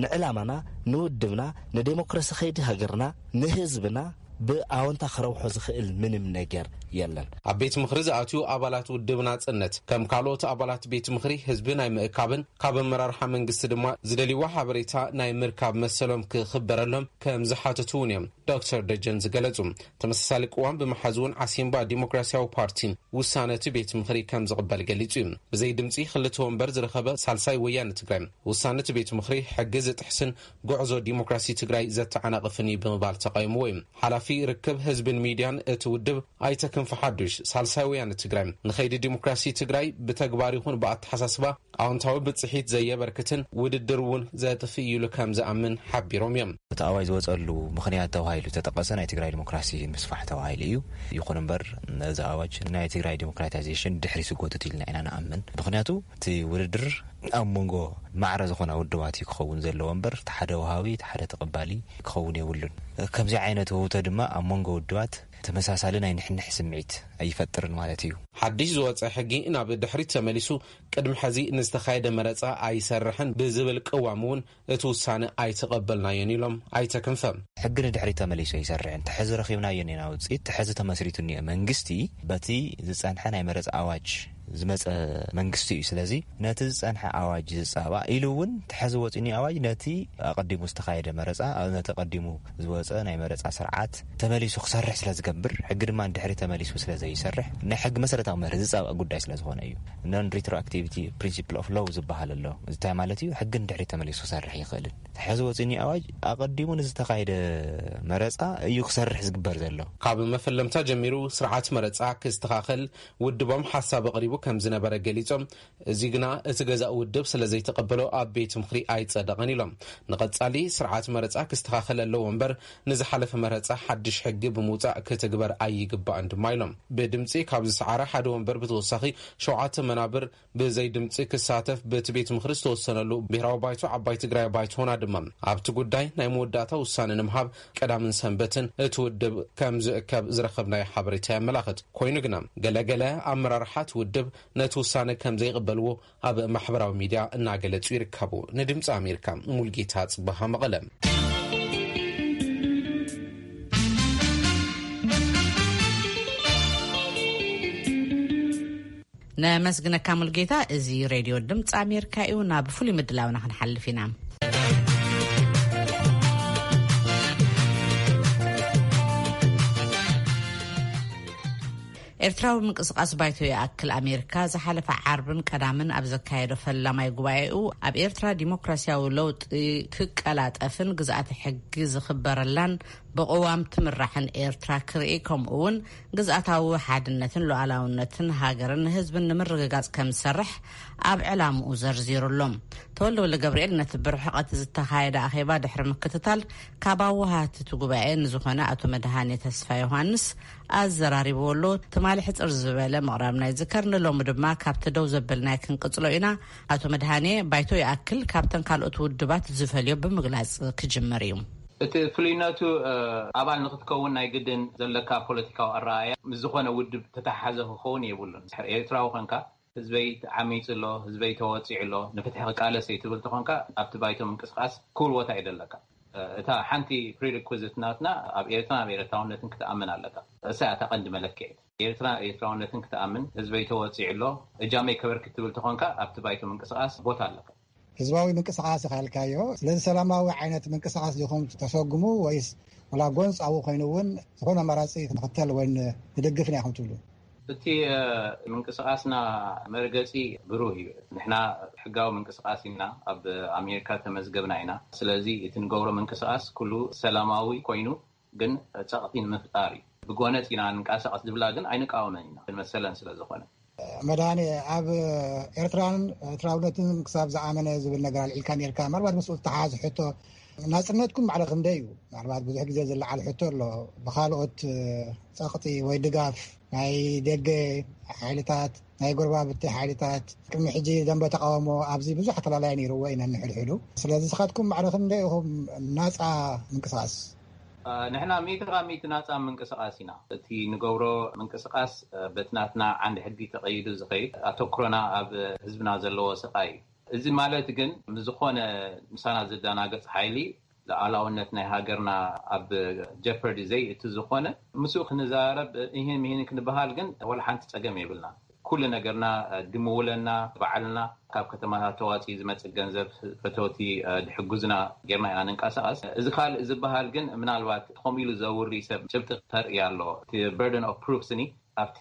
ንዕላማና፣ ንውድብና፣ ንዴሞክራሲ ከይዲ ሃገርና፣ ንህዝብና ብኣወንታ ክረብሖ ዝኽእል ምንም ነገር የለን። ኣብ ቤት ምኽሪ ዝኣትዩ ኣባላት ውድብ ናጽነት፣ ከም ካልኦት ኣባላት ቤት ምኽሪ ህዝቢ ናይ ምእካብን ካብ ኣመራርሓ መንግስቲ ድማ ዝደልይዎ ሓበሬታ ናይ ምርካብ መሰሎም ክኽበረሎም ከም ዝሓተቱ እውን እዮም ዶክተር ደጀን ዝገለጹ። ተመሳሳሊ ቅዋም ብምሓዝ እውን ዓሲምባ ዲሞክራሲያዊ ፓርቲን ውሳነ እቲ ቤት ምኽሪ ከም ዝቕበል ገሊጹ እዩ። ብዘይ ድምጺ ክልተ ወንበር ዝረኸበ ሳልሳይ ወያነ ትግራይ፣ ውሳነ እቲ ቤት ምኽሪ ሕጊ ዝጥሕስን ጉዕዞ ዲሞክራሲ ትግራይ ዘተዓናቕፍን እዩ ብምባል ተቓይምዎ እዩ። ሓላፊ ርክብ ህዝብን ሚድያን እቲ ውድብ ኣይተ ክንፈ ሓዱሽ፣ ሳልሳይ ወያነ ትግራይ ንኸይዲ ዲሞክራሲ ትግራይ ብተግባር ይኹን ብኣተሓሳስባ ኣዎንታዊ ብፅሒት ዘየበርክትን ውድድር እውን ዘጥፍእ እዩ ኢሉ ከም ዝኣምን ሓቢሮም እዮም። እቲ ኣዋጅ ዝወፀሉ ምኽንያት ተባሂሉ ዝተጠቐሰ ናይ ትግራይ ዲሞክራሲ ምስፋሕ ተባሂሉ እዩ። ይኹን እምበር፣ ነዚ ኣዋጅ ናይ ትግራይ ዲሞክራታይዜሽን ድሕሪ ዝጎትት ኢልና ኢና ንኣምን። ምኽንያቱ እቲ ውድድር ኣብ መንጎ ማዕረ ዝኾና ውድባት እዩ ክኸውን ዘለዎ እምበር፣ እቲ ሓደ ወሃቢ፣ እቲ ሓደ ተቐባሊ ክኸውን የብሉን። ከምዚ ዓይነት ውህብቶ ድማ ኣብ መንጎ ውድባት ተመሳሳሊ ናይ ንሕንሕ ስምዒት ኣይፈጥርን ማለት እዩ። ሓድሽ ዝወፀ ሕጊ ናብ ድሕሪት ተመሊሱ ቅድሚ ሕዚ ንዝተኻየደ መረፃ ኣይሰርሕን ብዝብል ቅዋም እውን እቲ ውሳነ ኣይተቐበልናዮን ኢሎም ኣይተ ክንፈ። ሕጊ ንድሕሪት ተመሊሱ ኣይሰርሕን። ተሐዚ ረኺብናዮ እኒና ውፅኢት፣ ተሐዚ ተመስሪቱ እኒኦ መንግስቲ በቲ ዝፀንሐ ናይ መረፃ ኣዋጅ ዝመፀ መንግስቲ እዩ። ስለዚ ነቲ ዝፀንሐ ኣዋጅ ዝፃባእ ኢሉ እውን ተሐዚ ወፂኒ ኣዋጅ ነቲ ኣቐዲሙ ዝተኻየደ መረፃ፣ ነቲ ኣቐዲሙ ዝወፀ ናይ መረፃ ስርዓት ተመሊሱ ክሰርሕ ስለ ዝገብር፣ ሕጊ ድማ ንድሕሪ ተመሊሱ ስለ ዘይሰርሕ፣ ናይ ሕጊ መሰረታዊ መርህ ዝፃባእ ጉዳይ ስለ ዝኾነ እዩ። Non retroactivity principle of law ዝበሃል ኣሎ። እዚ እንታይ ማለት እዩ? ሕጊ ንድሕሪ ተመሊሱ ክሰርሕ ይኽእልን። ተሐዚ ወፂኒ ኣዋጅ ኣቐዲሙ ንዝተኻየደ መረፃ እዩ ክሰርሕ ዝግበር ዘሎ። ካብ መፈለምታ ጀሚሩ ስርዓት መረፃ ክስተኻኸል ውድቦም ሓሳብ ኣቕሪቡ ከም ዝነበረ ገሊጾም፣ እዚ ግና እቲ ገዛእ ውድብ ስለ ዘይተቐበሎ ኣብ ቤት ምኽሪ ኣይጸደቐን ኢሎም። ንቐጻሊ ስርዓት መረጻ ክስተኻኸል ኣለዎ እምበር ንዝሓለፈ መረጻ ሓድሽ ሕጊ ብምውጻእ ክትግበር ኣይግባእን ድማ ኢሎም። ብድምጺ ካብ ዝሰዓረ ሓደ ወንበር ብተወሳኺ ሸውዓተ መናብር ብዘይ ድምጺ ክሳተፍ በቲ ቤት ምኽሪ ዝተወሰነሉ ብሄራዊ ባይቶ ዓባይ ትግራይ ባይቶና ድማ ኣብቲ ጉዳይ ናይ መወዳእታ ውሳነ ንምሃብ ቀዳምን ሰንበትን እቲ ውድብ ከም ዝእከብ ዝረኸብናዮ ሓበሬታ የመላኽት። ኮይኑ ግና ገለገለ ኣመራርሓ እቲ ውድብ ነቲ ውሳነ ከም ዘይቕበልዎ ኣብ ማሕበራዊ ሚድያ እናገለጹ ይርከቡ። ንድምፂ ኣሜሪካ ሙልጌታ ጽበሃ መቐለ። ነመስግነካ ሙልጌታ። እዚ ሬድዮ ድምፂ ኣሜሪካ እዩ። ናብ ፍሉይ ምድላውና ክንሓልፍ ኢና። ኤርትራዊ ምንቅስቃስ ባይቶ ይኣክል ኣሜሪካ ዝሓለፈ ዓርብን ቀዳምን ኣብ ዘካየዶ ፈላማይ ጉባኤኡ፣ ኣብ ኤርትራ ዲሞክራሲያዊ ለውጢ ክቀላጠፍን ግዝኣተ ሕጊ ዝኽበረላን ብቕዋም ትምራሕን ኤርትራ ክርኢ፣ ከምኡ እውን ግዝኣታዊ ሓድነትን ሉዓላውነትን ሃገርን ህዝብን ንምርግጋጽ ከም ዝሰርሕ ኣብ ዕላምኡ ዘርዚሩ ኣሎ። ተወልደ ወልደ ገብርኤል ነቲ ብርሕቐት ዝተኻየደ ኣኼባ ድሕሪ ምክትታል፣ ካብ ኣወሃህቲ እቲ ጉባኤ ንዝኾነ ኣቶ መድሃኔ ተስፋ ዮሃንስ ኣዘራሪብዎ ኣሎ። ትማሊ ሕጽር ዝበለ ምቕራብና ይዝከር። ንሎሚ ድማ ካብቲ ደው ዘበልናዮ ክንቅጽሎ ኢና። ኣቶ መድሃኔ፣ ባይቶ ይኣክል ካብተን ካልኦት ውድባት ዝፈልዮ ብምግላጽ ክጅምር እዩ። እቲ ፍሉይነቱ፣ እ፣ ኣባል ንክትከውን ናይ ግድን ዘለካ ፖለቲካዊ ኣረኣእያ ምስ ዝኾነ ውድብ ተተሓሓዘ ክኸውን የብሉን። ድሕሪ ኤርትራዊ ኮንካ፣ ህዝበይ ዓሚጹ ኣሎ፣ ህዝበይ ተወጺዑ ኣሎ፣ ንፍትሒ ክቃለስ እየ ትብል ተኾንካ፣ ኣብቲ ባይቶ ምንቅስቃስ ክቡር ቦታ እዩ ዘለካ። እ፣ እታ ሓንቲ ፕሪሪኩዚት ናትና ኣብ ኤርትራን ኣብ ኤርትራውነትን ክትኣምን ኣለካ። እሳ እያ እታ ቀንዲ መለክዒት። ኤርትራ ኤርትራውነትን ክትኣምን፣ ህዝበይ ተወጺዑ ኣሎ፣ እጃመይ ከበርክት ትብል ተኾንካ፣ ኣብቲ ባይቶ ምንቅስቃስ ቦታ ኣለካ። ህዝባዊ ምንቅስቃስ ኢኻ ኢልካዮ። ስለዚ ሰላማዊ ዓይነት ምንቅስቃስ ዲኹም ተሰጉሙ ወይስ ወላ ጎንጻዊ ኮይኑ እውን ዝኾነ ኣማራጺ ክንኽተል ወይ ን-፣ ንድግፍ ኢና ኢኹም ትብሉ? እቲ፣ እ፣ ምንቅስቃስና መርገጺ ብሩህ እዩ። ንሕና ሕጋዊ ምንቅስቃስ ኢና፣ ኣብ ኣሜሪካ ተመዝገብና ኢና። ስለዚ እቲ ንገብሮ ምንቅስቃስ ኩሉ ሰላማዊ ኮይኑ ግን ጸቕጢ ንምፍጣር እዩ። ብጎነጽ ኢና ንንቀሳቐስ ዝብላ ግን ኣይንቃወመን ኢና፣ መሰለን ስለ ዝኾነ። መድሃኔ፣ ኣብ ኤርትራን ኤርትራውነትን ክሳብ ዝኣመነ ዝብል ነገር ኣልዒልካ ነርካ። ምናልባት ምስኡ ዝተሓሓዝ ሕቶ፣ ናጽነትኩም ማዕረ ክንደይ እዩ? ምናልባት ብዙሕ ግዜ ዝለዓል ሕቶ ኣሎ። ብኻልኦት ጸቕጢ ወይ ድጋፍ ናይ ደገ ሓይልታት፣ ናይ ጎረባብቲ ሓይልታት፣ ቅድሚ ሕጂ ደንበ ተቃውሞ ኣብዚ ብዙሕ ኣተላላይ ነይርዎ ኢና ንሕድሕዱ። ስለዚ ንስኻትኩም ማዕረ ክንደይ ኢኹም ናጻ ምንቅስቃስ? እ፣ ንሕና ሚእቲ ካብ ሚእቲ ናጻ ምንቅስቃስ ኢና። እቲ ንገብሮ ምንቅስቃስ፣ እ፣ በቲ ናትና ዓንዲ ሕጊ ተቐይዱ ዝኸይድ፣ ኣተኩሮና ኣብ ህዝብና ዘለዎ ስቃይ እዩ። እዚ ማለት ግን ምስ ዝኾነ ምሳና ዝደናገጽ ሓይሊ ሉዓላውነት ናይ ሃገርና ኣብ ጀፐርዲ ዘይእቲ ዝኾነ፣ ምስኡ ክንዛረብ፣ ይህን ምሂን ክንበሃል ግን ወላ ሓንቲ ጸገም የብልና። ኩሉ ነገርና፣ ድምውለና፣ ባዕልና ካብ ከተማታት ተዋፂኡ ዝመፅእ ገንዘብ፣ ፈተውቲ ድሕጉዝና ጌርና ኢና ንንቀሳቐስ። እዚ ካልእ ዝበሃል ግን ምናልባት ከምኡ ኢሉ ዘውሪ ሰብ ጭብጢ ክተርኢ ኣሎ። እቲ በርደን ኦፍ ፕሩፍ ስኒ ኣብቲ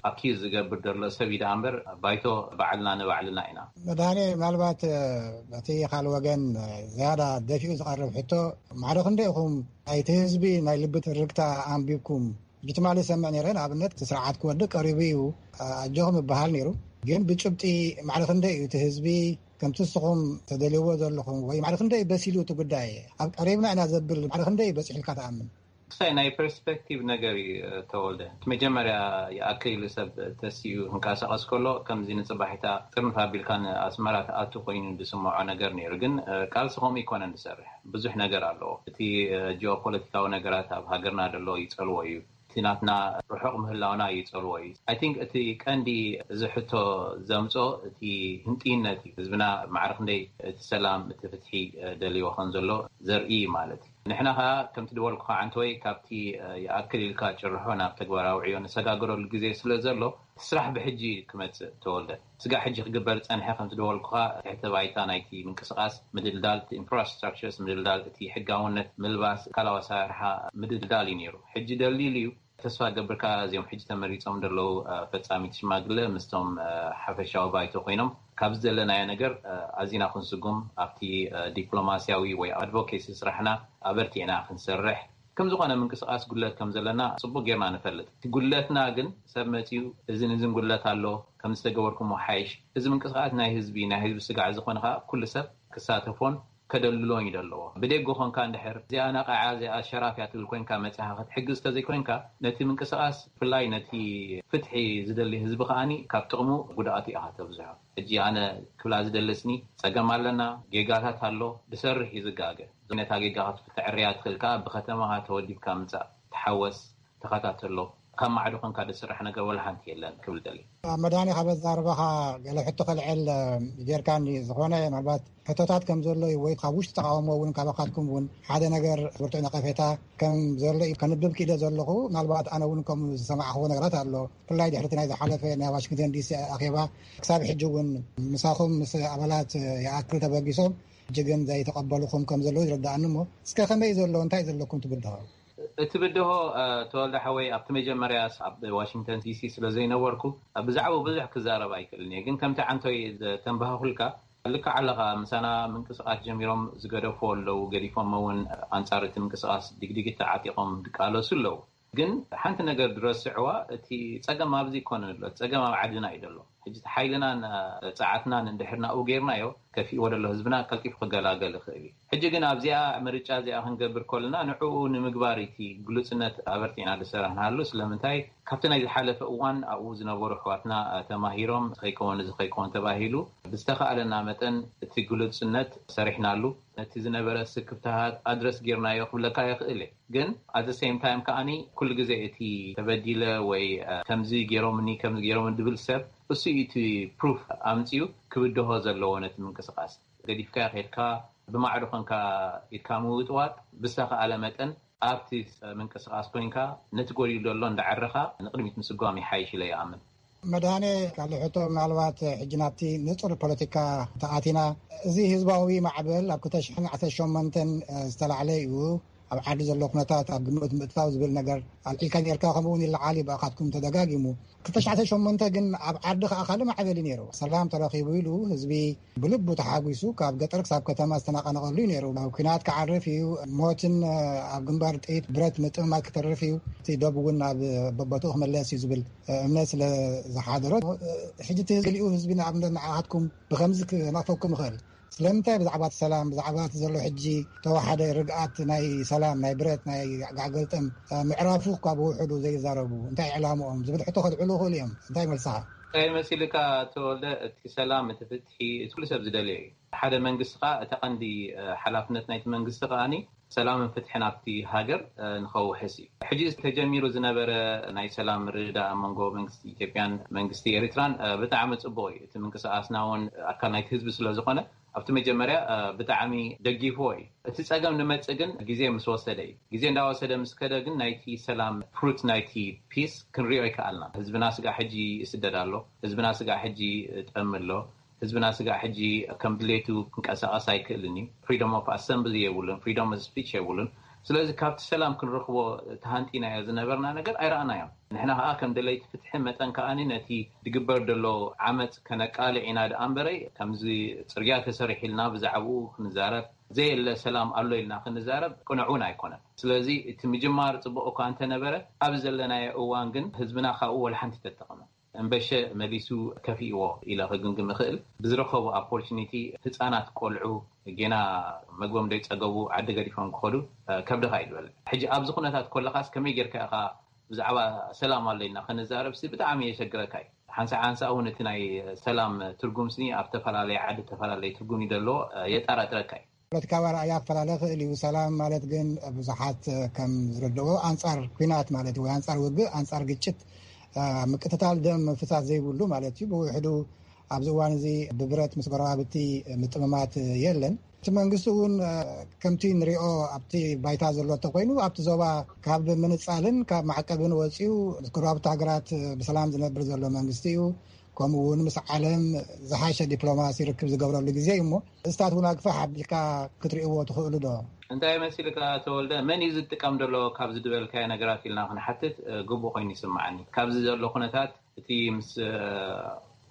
ኣኪዝ ዝገብር ዘሎ ሰብ እዩ ደኣ እምበር፣ ባይቶ ባዕልና ንባዕልና ኢና። መድሃኔ፣ ምናልባት እቲ ካልእ ወገን ዝያዳ ደፊኡ ዝቐርብ ሕቶ፣ ማዕረ ክንደይ ኢኹም ናይቲ ህዝቢ ናይ ልቢ ትርክታ ኣንቢብኩም? ሕጂ ትማሊ ዝሰምዕ ነይረ፣ ንኣብነት እቲ ስርዓት ክወድቅ ቀሪቡ እዩ ኣጆኹም ይበሃል ነይሩ። ግን ብጭብጢ ማዕረ ክንደይ እዩ እቲ ህዝቢ ከምቲ ንስኹም ተደልይዎ ዘለኹም፣ ወይ ማዕረ ክንደይ በሲሉ እቲ ጉዳይ፣ ኣብ ቀሪብና ኢና ዘብል ማዕረ ክንደይ እዩ በፂሑ ኢልካ ትኣምን? ክሳይ ናይ ፐርስፔክቲቭ ነገር እዩ። ተወልደ፣ እቲ መጀመርያ ይኣክል ኢሉ ሰብ ተሲኡ ክንቀሳቐስ ከሎ፣ ከምዚ ንፅባሒታ ጥርንፍ ኣቢልካ ንኣስመራ ትኣቱ ኮይኑ ዝስምዖ ነገር ነይሩ። ግን ቃልሲ ከምኡ ይኮነን ዝሰርሕ፣ ብዙሕ ነገር ኣለዎ። እቲ ጂኦፖለቲካዊ ነገራት ኣብ ሃገርና ዘሎ ይፀልዎ እዩ። እቲ ናትና ርሑቕ ምህላውና ይፀልዎ እዩ። ኣይ ቲንክ እቲ ቀንዲ እዚ ሕቶ ዘምፆ፣ እቲ ህንጥይነት እዩ። ህዝብና ማዕረ ክንደይ እቲ ሰላም፣ እቲ ፍትሒ ደልይዎ ከም ዘሎ ዘርኢ እዩ ማለት እዩ። ንሕና ከዓ ከምቲ ድበልኩኻ፣ ዓንተወይ፣ ካብቲ ይኣክል ኢልካ ጭርሖ ናብ ተግባራዊ ዕዮ ንሰጋገረሉ ግዜ ስለ ዘሎ፣ እቲ ስራሕ ብሕጂ ክመፅእ፣ ተወልደ፣ ስጋዕ ሕጂ ክግበር ዝፀንሐ፣ ከምቲ ድበልኩኻ፣ ትሕተ ባይታ ናይቲ ምንቅስቃስ ምድልዳል፣ እቲ ኢንፍራስትራክቸርስ ምድልዳል፣ እቲ ሕጋውነት ምልባስ፣ ካላዊ ኣሰራርሓ ምድልዳል እዩ ነይሩ። ሕጂ ደልዲሉ እዩ። ተስፋ ገብርካ እዚኦም ሕጂ ተመሪጾም ዘለዉ ፈጻሚት ሽማግለ ምስቶም ሓፈሻዊ ባይቶ ኮይኖም፣ ካብ ዝደለናዮ ነገር ኣዚና ክንስጉም፣ ኣብቲ ዲፕሎማስያዊ ወይ ኣድቮኬሲ ስራሕና ኣበርቲዕና ክንሰርሕ፣ ከም ዝኾነ ምንቅስቃስ ጉድለት ከም ዘለና ጽቡቅ ጌርና ንፈልጥ። እቲ ጉድለትና ግን ሰብ መጺኡ እዝን እዝን ጉድለት ኣሎ፣ ከም ዝተገበርኩሞ ሓይሽ፣ እዚ ምንቅስቃስ ናይ ህዝቢ፣ ናይ ህዝቢ ስጋዕ ዝኾነ ከኣ ኩሉ ሰብ ክሳተፎን ከደልድሎን እዩ ዘለዎ። ብደገ ኮንካ እንድሕር እዚኣ ነቓዓ፣ እዚኣ ሸራፍ እያ ትብል ኮይንካ መጺኻ ክትሕግዝ ተዘይኮይንካ፣ ነቲ ምንቅስቃስ፣ ብፍላይ ነቲ ፍትሒ ዝደሊ ህዝቢ ከኣኒ ካብ ጥቕሙ ጉድኣቱ ኢኻ ተብዝሖ። ሕጂ ኣነ ክብላ ዝደለስኒ፣ ጸገም ኣለና፣ ጌጋታት ኣሎ፣ ብሰርሕ እዩ ዝጋገ። ነታ ጌጋ ክትፍትሕ ዕርያ ትኽእል ከኣ ብከተማኻ ተወዲብካ ምጻእ፣ ተሓወስ፣ ተኸታተሎ። ካብ ማዕዶ ኮንካ ዝስራሕ ነገር ወላ ሓንቲ የለን ክብል ደሊ። ኣብ መድሃኒ ካብ ኣዛርባኻ ገለ ሕቶ ከልዕል ጌርካኒ፣ ዝኾነ ምናልባት ሕቶታት ከም ዘሎ እዩ፣ ወይ ካብ ውሽጢ ተቃውሞ እውን ካባኻትኩም እውን ሓደ ነገር ብርቱዕ ነቀፌታ ከም ዘሎ እዩ ከንብብ ክኢለ ዘለኹ። ምናልባት ኣነ እውን ከምኡ ዝሰማዕኽዎ ነገራት ኣሎ። ብፍላይ ድሕሪ እቲ ናይ ዝሓለፈ ናይ ዋሽንግተን ዲሲ ኣኼባ፣ ክሳብ ሕጂ እውን ምሳኹም ምስ ኣባላት ይኣክል ተበጊሶም፣ ሕጂ ግን ዘይተቐበሉኹም ከም ዘለዉ ይርድኣኒ። እሞ እስከ ከመይ ዘሎ፣ እንታይ ዘለኩም ትብድሆ? እቲ ብድሆ፣ እ፣ ተወልደ ሓወይ፣ ኣብቲ መጀመርያስ ኣብ ዋሽንግተን ዲሲ ስለ ዘይነበርኩ፣ እ፣ ብዛዕባኡ ብዙሕ ክዛረብ ኣይክእልን እየ። ግን ከምቲ ዓንቶይ ዘተንባህኹልካ፣ ልክዕ ኣለኻ። ምሳና ምንቅስቃስ ጀሚሮም ዝገደፉ ኣለዉ፣ ገዲፎም እውን ኣንጻር እቲ ምንቅስቃስ ዲግዲግ ተዓጢቖም ዝቃለሱ ኣለዉ። ግን ሓንቲ ነገር ድረስዕዋ፣ እቲ ጸገም ኣብዚ ይኮነን ኣሎ፣ እቲ ጸገም ኣብ ዓድና እዩ ዘሎ። ሕጂ እቲ ሓይልናን፣ እ፣ ጸዓትናን እንድሕር ናብኡ ጌርናዮ፣ ከፊእዎ ዘሎ ህዝብና ቀልጢፉ ክገላገል ይኽእል እዩ። ሕጂ ግን ኣብዚኣ ምርጫ እዚኣ ክንገብር ከለና፣ ንዕኡ ንምግባር እቲ ግሉጽነት ኣበርቲዕና ዝሰራሕናሉ። ስለምንታይ? ካብቲ ናይ ዝሓለፈ እዋን ኣብኡ ዝነበሩ ኣሕዋትና፣ እ፣ ተማሂሮም፣ እዚ ከይከውን፣ እዚ ከይከውን ተባሂሉ፣ ብዝተኻእለና መጠን እቲ ግሉጽነት ሰሪሕናሉ። ነቲ ዝነበረ ስክፍታታት ኣድረስ ጌርናዮ ክብለካ ይኽእል እየ። ግን at the same time ከኣኒ፣ ኩሉ ግዜ እቲ ተበዲለ ወይ፣ እ፣ ከምዚ ገይሮምኒ፣ ከምዚ ገይሮምኒ ድብል ሰብ፣ እሱ እዩ እቲ ፕሩፍ ኣምጺኡ ክብድሆ ዘለዎ ነቲ ምንቅስቃስ። ገዲፍካዮ ከድካ፣ ብማዕዶ ኮንካ ኢድካ ምውጥዋጥ፣ ብዝተኻእለ መጠን ኣብቲ ምንቅስቃስ ኮይንካ፣ ነቲ ጎዲሉ ዘሎ እንዳዓረኻ ንቕድሚት ምስጓም ይሓይሽ ኢለ ይኣምን። መድሃኔ፣ ካልእ ሕቶ፣ ምናልባት ሕጂ ናብቲ ንጹር ፖለቲካ ተኣቲና፣ እዚ ህዝባዊ ማዕበል ኣብ ክልተ ሽሕን ዓሰርተ ሸሞንተን ዝተላዕለ እዩ። ኣብ ዓዲ ዘሎ ኩነታት ኣብ ግምት ምእታው ዝብል ነገር ኣልዒልካ ኔርካ፣ ከምኡ እውን ይለዓል እዩ ብኣኻትኩም ተደጋጊሙ። ክልተ ሽሕን ዓሰርተ ሸሞንተ ግን ኣብ ዓዲ ከኣ ካልእ ማዕበል እዩ ነይሩ። ሰላም ተረኺቡ ኢሉ ህዝቢ ብልቡ ተሓጒሱ ካብ ገጠር ክሳብ ከተማ ዝተናቐነቐሉ እዩ ነይሩ። ኣብ ኲናት ክዓርፍ እዩ፣ ሞትን ኣብ ግንባር ጥይት ብረት ምጥምማት ክተርፍ እዩ። እቲ ዶብ እውን ኣብ በቦትኡ ክምለስ እዩ ዝብል እምነት ስለ ዝሓደሮ፣ ሕጂ እቲ ህዝቢ፣ ገሊኡ ህዝቢ ንኣብነት ንዓኻትኩም ብኸምዚ ክነቕፈኩም ይኽእል። ስለምንታይ ብዛዕባ እቲ ሰላም፣ ብዛዕባ እቲ ዘሎ ሕጂ ተዋሓደ ርግኣት ናይ ሰላም፣ ናይ ብረት፣ ናይ ጋዕገልጠም ምዕራፉ ካብ ውሑዱ ዘይዛረቡ፣ እንታይ ዕላምኦም ዝብል ሕቶ ከልዕሉ ይኽእሉ እዮም። እንታይ መልስኻ? እንታይ መሲልካ ተወልደ፣ እቲ ሰላም፣ እቲ ፍትሒ፣ እቲ ኩሉ ሰብ ዝደልዮ እዩ። ሓደ መንግስቲ ከኣ እቲ ቀንዲ፣ እ፣ ሓላፍነት ናይቲ መንግስቲ ከኣኒ ሰላምን ፍትሕን ኣብቲ ሃገር፣ እ፣ ንኸውሕስ እዩ። ሕጂ ተጀሚሩ ዝነበረ ናይ ሰላም ምርድዳእ ኣብ መንጎ መንግስቲ ኢትዮጵያን መንግስቲ ኤሪትራን፣ እ፣ ብጣዕሚ ጽቡቕ እዩ። እቲ ምንቅስቃስና እውን ኣካል ናይቲ ህዝቢ ስለ ዝኾነ፣ ኣብቲ መጀመርያ ብጣዕሚ ደጊፍዎ እዩ። እቲ ጸገም ንመጽእ ግን ግዜ ምስ ወሰደ እዩ። ግዜ እንዳወሰደ ምስ ከደ ግን ናይቲ ሰላም፣ ፍሩት ናይቲ ፒስ ክንሪኦ ይከኣልና። ህዝብና ስጋዕ ሕጂ ይስደድ ኣሎ። ህዝብና ስጋዕ ሕጂ ጠሚ ኣሎ። ህዝብና ስጋዕ ሕጂ ከም ድሌቱ ክንቀሳቐስ ኣይክእልን እዩ። ፍሪደም ኦፍ ኣሰምብሊ የብሉን፣ ፍሪደም ኦፍ ስፒች የብሉን። ስለዚ ካብቲ ሰላም ክንረኽቦ ተሃንጢናዮ ዝነበርና ነገር ኣይረኣናዮም። ንሕና ከዓ ከም ደለይቲ ፍትሒ መጠን ከዓኒ ነቲ ድግበር ደሎ ዓመፅ ከነቃልዕ ኢና ደኣ እምበረይ፣ ከምዚ ፅርግያ ተሰሪሒልና ብዛዕባኡ ክንዛረብ፣ ዘየለ ሰላም ኣሎ ኢልና ክንዛረብ ቅኑዕ እውን ኣይኮነን። ስለዚ እቲ ምጅማር ፅቡቅ እኳ እንተነበረ፣ ኣብ ዘለናዮ እዋን ግን ህዝብና ካብኡ ወላ ሓንቲ ተጠቐመ። እምበሸ መሊሱ ከፊእዎ ኢለ ክግምግም እኽእል። ብዝረኸቡ ኦፖርቹኒቲ ህፃናት ቆልዑ ጌና መግቦም ደይፀገቡ ዓዲ ገዲፎም ክኸዱ ከብድኻ እዩ ዝበለ። ሕጂ ኣብዚ ኩነታት ኮለኻስ ከመይ ጌርካ ኢኻ ብዛዕባ ሰላም ኣለና ክንዛረብሲ ብጣዕሚ የሸግረካ እዩ። ሓንሳ ሓንሳ እውን እቲ ናይ ሰላም ትርጉምሲ ኣብ ተፈላለየ ዓዲ ተፈላለየ ትርጉም እዩ ዘለዎ፣ የጠራጥረካ እዩ። ፖለቲካዊ ኣረኣያ ክፈላለ ይኽእል እዩ። ሰላም ማለት ግን ብዙሓት ከም ዝረድኦ ኣንጻር ኲናት ማለት ወይ ኣንጻር ውግእ፣ ኣንጻር ግጭት፣ ምቅትታል ደም ምፍሳስ ዘይብሉ ማለት እዩ። ብውሕዱ ኣብዚ እዋን እዚ ብብረት ምስ ጎረባብቲ ምጥምማት የለን። እቲ መንግስቲ እውን ከምቲ ንሪኦ ኣብቲ ባይታ ዘሎ እንተኮይኑ ኣብቲ ዞባ ካብ ምንጻልን ካብ ማዕቀብን ወፂኡ ምስ ጎረባብቲ ሃገራት ብሰላም ዝነብር ዘሎ መንግስቲ እዩ። ከምኡ እውን ምስ ዓለም ዝሓሸ ዲፕሎማሲ ርክብ ዝገብረሉ ግዜ እዩ እሞ፣ እስታት እውን ኣግፋሕ ኣቢልካ ክትርእይዎ ትኽእሉ ዶ? እንታይ መሲልካ ተወልደ፣ መን እዩ ዝጥቀም ዘሎ ካብዚ ዝበልካዮ ነገራት ኢልና ክንሓትት ግቡእ ኮይኑ ይስምዓኒ። ካብዚ ዘሎ ኩነታት እቲ ምስ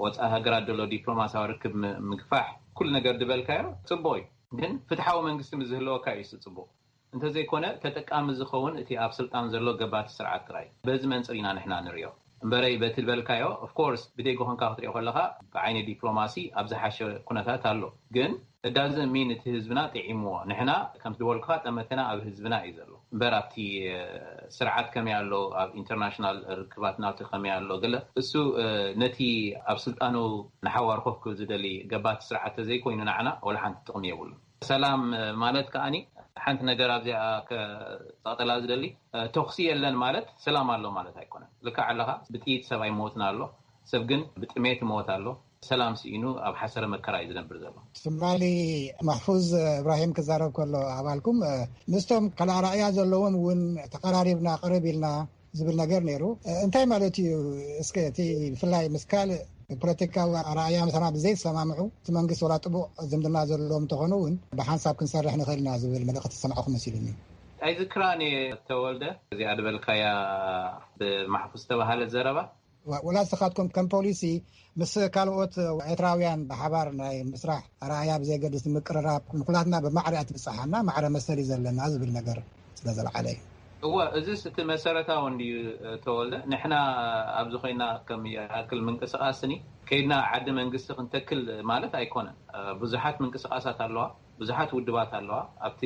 ወፃኢ ሃገራት ዘሎ ዲፕሎማሲያዊ ርክብ ምግፋሕ፣ ኩሉ ነገር ዝበልካዮ ፅቡቅ እዩ። ግን ፍትሓዊ መንግስቲ ምስ ዝህልወካ እዩ እሱ ፅቡቅ። እንተዘይኮነ ተጠቃሚ ዝኸውን እቲ ኣብ ስልጣን ዘሎ ገባቲ ስርዓት ጥራይ። በዚ መንፅር ኢና ንሕና ንሪኦ እምበረይ በቲ ዝበልካዮ። ኦፍኮርስ ብደይ ጎኾንካ ክትሪኦ ከለካ ብዓይኒ ዲፕሎማሲ ኣብ ዝሓሸ ኩነታት ኣሎ። ግን እዳዚ ሚን እቲ ህዝብና ጥዒምዎ። ንሕና ከምቲ ዝበልኩካ ጠመተና ኣብ ህዝብና እዩ ዘሎ እምበር ኣብቲ ስርዓት ከመይ ኣሎ፣ ኣብ ኢንተርናሽናል ርክባት ናቱ ከመይ ኣሎ ገለ እሱ ነቲ ኣብ ስልጣኑ ንሓዋር ኮፍ ክብል ዝደሊ ገባቲ ስርዓት ተዘይኮይኑ ንዓና ወላ ሓንቲ ጥቕሚ የብሉን። ሰላም ማለት ከዓኒ ሓንቲ ነገር ኣብዚኣ ከጠቕጠላ ዝደሊ፣ ተኩሲ የለን ማለት ሰላም ኣሎ ማለት ኣይኮነን። ልክዕ ኣለኻ፣ ብጥይት ሰብ ኣይሞትን ኣሎ፣ ሰብ ግን ብጥሜት ይሞት ኣሎ። ሰላም ስኢኑ ኣብ ሓሰረ መከራ እዩ ዝነብር ዘሎ። ትማሊ ማሕፉዝ እብራሂም ክዛረብ ከሎ ኣባልኩም ምስቶም ካልእ ኣረኣእያ ዘለዎም እውን ተቀራሪብና ቅርብ ኢልና ዝብል ነገር ነይሩ። እንታይ ማለት እዩ? እስከ እቲ ብፍላይ ምስ ካልእ ፖለቲካዊ ኣረኣእያ ምሳና ብዘይሰማምዑ እቲ መንግስቲ ወላ ጥቡቕ ዝምድና ዘለዎም እንተኾኑ እውን ብሓንሳብ ክንሰርሕ ንኽእል ኢና ዝብል መልእኽቲ ዝሰማዕኹ መሲሉኒ። ኣይዝክራን እየ ተወልደ፣ እዚኣ ዝበልካያ ብማሕፉዝ ዝተባሃለት ዘረባ። ወላ ንስኻትኩም ከም ፖሊሲ ምስ ካልኦት ኤርትራውያን ብሓባር ናይ ምስራሕ ኣረኣእያ ብዘየገድስ ምቅርራብ ንኩላትና ብማዕረ እያ ትብጽሓና፣ ማዕረ መሰል እዩ ዘለና ዝብል ነገር ስለ ዘልዓለ እዩ። እወ፣ እዚስ እቲ መሰረታዊ እንድዩ ተወልደ። ንሕና ኣብዚ ኮይና ከም ይኣክል ምንቅስቃስኒ ከይድና ዓዲ መንግስቲ ክንተክል ማለት ኣይኮነን። ብዙሓት ምንቅስቃሳት ኣለዋ፣ ብዙሓት ውድባት ኣለዋ። ኣብቲ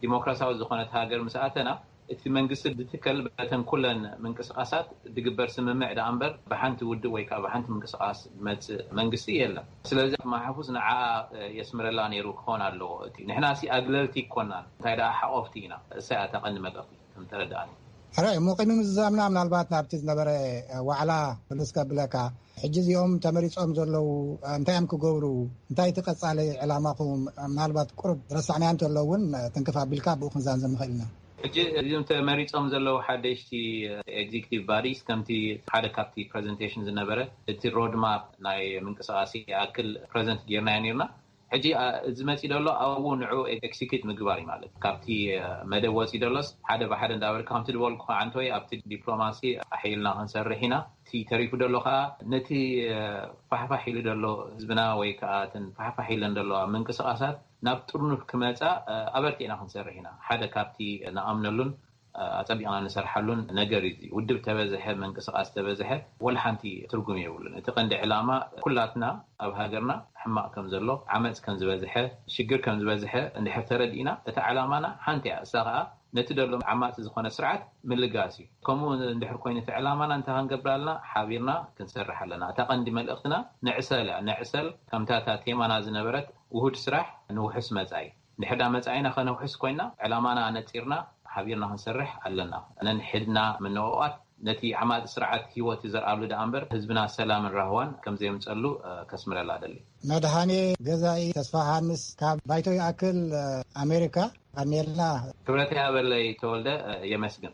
ዲሞክራሲያዊ ዝኾነት ሃገር ምስ ኣተና እቲ መንግስቲ ዝትከል በተን ኩለን ምንቅስቃሳት ዝግበር ስምምዕ ደኣ እምበር ብሓንቲ ውድብ ወይ ከዓ ብሓንቲ ምንቅስቃስ ዝመፅእ መንግስቲ የለን። ስለዚ ማሕፉዝ ንዓኣ የስምረላ ነይሩ ክኾን ኣለዎ። እቲ ንሕና ሲ ኣግለልቲ ይኮናን እንታይ ደኣ ሓቆፍቲ ኢና። እሳ እያ እታ ቀንዲ መልእኽቲ ከም ተረዳእኒ። ሕራይ እሞ ቅድሚ ምዝዛምና ምናልባት ናብቲ ዝነበረ ዋዕላ ምልስ ከብለካ ሕጂ እዚኦም ተመሪፆም ዘለዉ እንታይ እዮም ክገብሩ? እንታይ እቲ ቀፃሊ ዕላማኹም? ምናልባት ቁሩብ ረሳዕናዮ እንተሎ እውን ትንክፍ ኣቢልካ ብኡ ክንዛንዘም ንኽእል ኢና። ሕጂ እዚም ተመሪፆም ዘለዉ ሓደሽቲ ኤግዚክቲቭ ባዲስ ከምቲ ሓደ ካብቲ ፕሬዘንቴሽን ዝነበረ እቲ ሮድማፕ ናይ ምንቅስቃሴ ይኣክል ፕሬዘንት ጌርናዮ ነርና። ሕጂ እዚ መፂ ደሎ ኣብኡ ንዑ ኤክሲኪዩት ምግባር እዩ ማለት ካብቲ መደብ ወፂ ደሎስ ሓደ ብሓደ እንዳበልካ ከምቲ ዝበልኩ ዓንተወይ ኣብቲ ዲፕሎማሲ ኣሕይልና ክንሰርሕ ኢና። እቲ ተሪፉ ደሎ ከዓ ነቲ ፋሕፋሕ ኢሉ ደሎ ህዝብና ወይ ከዓ እተን ፋሕፋሕ ኢለን ደለዋ ምንቅስቃሳት ናብ ጥርኑፍ ክመፃ ኣበርቲዕና ክንሰርሕ ኢና። ሓደ ካብቲ ንኣምነሉን ኣፀቢቕና ንሰርሓሉን ነገር እዩ። ውድብ ተበዝሐ ምንቅስቃስ ተበዝሐ ወላ ሓንቲ ትርጉም የብሉን። እቲ ቀንዲ ዕላማ ኩላትና ኣብ ሃገርና ሕማቕ ከም ዘሎ ዓመፅ ከም ዝበዝሐ ሽግር ከም ዝበዝሐ እንድሕር ተረዲእና እታ ዕላማና ሓንቲ እያ። እሳ ከዓ ነቲ ደሎ ዓማፂ ዝኾነ ስርዓት ምልጋስ እዩ። ከምኡ እንድሕር ኮይኑ እቲ ዕላማና እንታይ ክንገብር ኣለና? ሓቢርና ክንሰርሕ ኣለና። እታ ቀንዲ መልእኽትና ንዕሰል እያ። ንዕሰል ከምታ እታ ቴማና ዝነበረት ውሁድ ስራሕ ንውሑስ መፃኢ። እንድሕር ዳ መፃኢና ከነውሕስ ኮይና ዕላማና ኣነፂርና ሓቢርና ክንሰርሕ ኣለና። ነንሕድና ምንቕቓት ነቲ ዓማጺ ስርዓት ህይወት ይዘርኣሉ ደኣ እምበር፣ ህዝብና ሰላምን ራህዋን ከም ዘየምጸሉ፣ እ፣ ከስምረላ እደሊ። መድሃኔ ገዛኢ ተስፋ ሃንስ ካብ ባይቶ ይኣክል፣ እ፣ ኣሜሪካ። ኣሜልና። ክብረት ያበለይ ተወልደ፣ እ፣ የመስግን።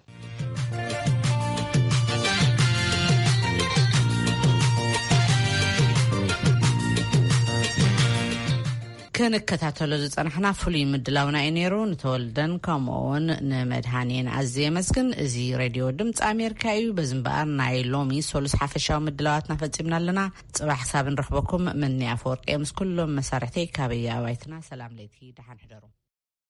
ክንከታተሎ ዝጸናሕና ፍሉይ ምድላውና እዩ ነይሩ። ንተወልደን ከምኡ እውን ንመድሃኔን ኣዝየ የመስግን። እዚ ሬድዮ ድምፂ ኣሜሪካ እዩ። በዚ እምበኣር ናይ ሎሚ ሶሉስ ሓፈሻዊ ምድላዋትና ፈጺምና ኣለና። ጽባሕ ክሳብ ንረኽበኩም፣ ምንያ ኣፈወርቂ ምስ ኩሎም መሳርሕተይ ካበየ ኣባይትና ሰላም ለይቲ፣ ደሓን ሕደሩ።